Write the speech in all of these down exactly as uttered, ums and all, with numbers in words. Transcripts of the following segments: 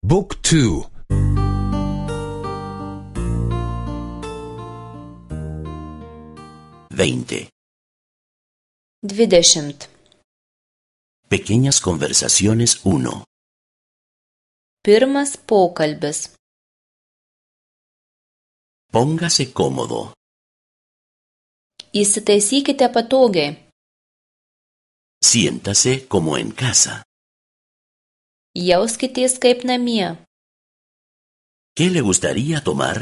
บุ๊กทูveinte. Dvidešimt. Pequeñas conversaciones uno. Pirmas pokalbis. Póngase cómodo. Įsitaisykite patogiai. Siéntase como en casa. Jauskitės kaip namie. ¿Qué le gustaría tomar?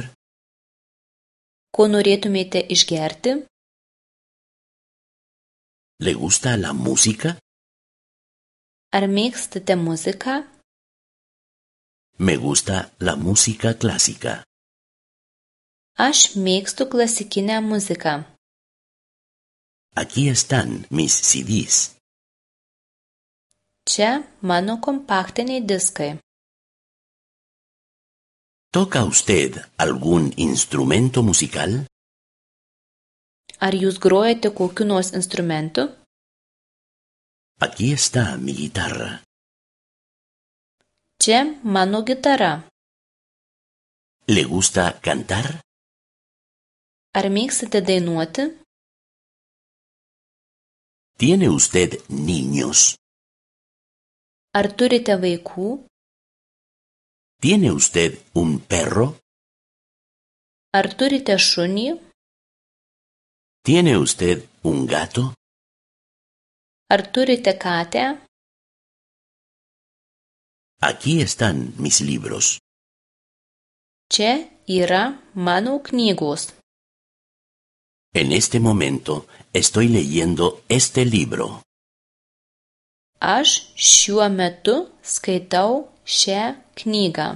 Ko norėtumėte išgerti? ¿Le gusta la música? Ar mėgstate muziką? Me gusta la música clásica. Aš mėgstu klasikinę muziką. Aquí están mis C Ds. Čia mano kompaktiniai diskai. ¿Toca usted algún instrumento musical? Ar jūs grojate kokiu nors instrumentu? Aquí está mi guitarra. Čia mano gitara. ¿Le gusta cantar? Ar mėgstate dainuoti? ¿Tiene usted niños? Ar turite vaikų? ¿Tiene usted un perro? Ar turite šunį? ¿Tiene usted un gato? Ar turite katę? Aquí están mis libros. Čia yra mano knygos. En este momento estoy leyendo este libro. Aš šiuo metu skaitau šią knygą.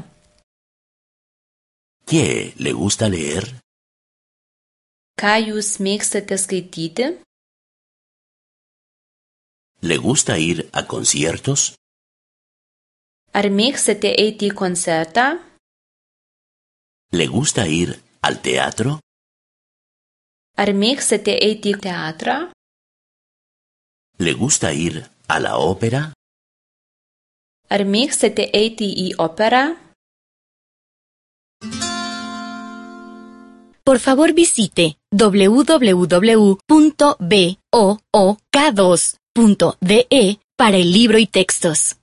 ¿Qué le gusta leer? Ką jūs mėgstate skaityti? ¿Le gusta ir a conciertos? Ar mėgstate eiti į koncertą? ¿Le gusta ir al teatro? Ar mėgstate eiti į teatrą? ¿Le gusta ir a la ópera? Ar mėgstate eiti į operą? Por favor visite doble u doble u doble u punto book dos punto de para el libro y textos.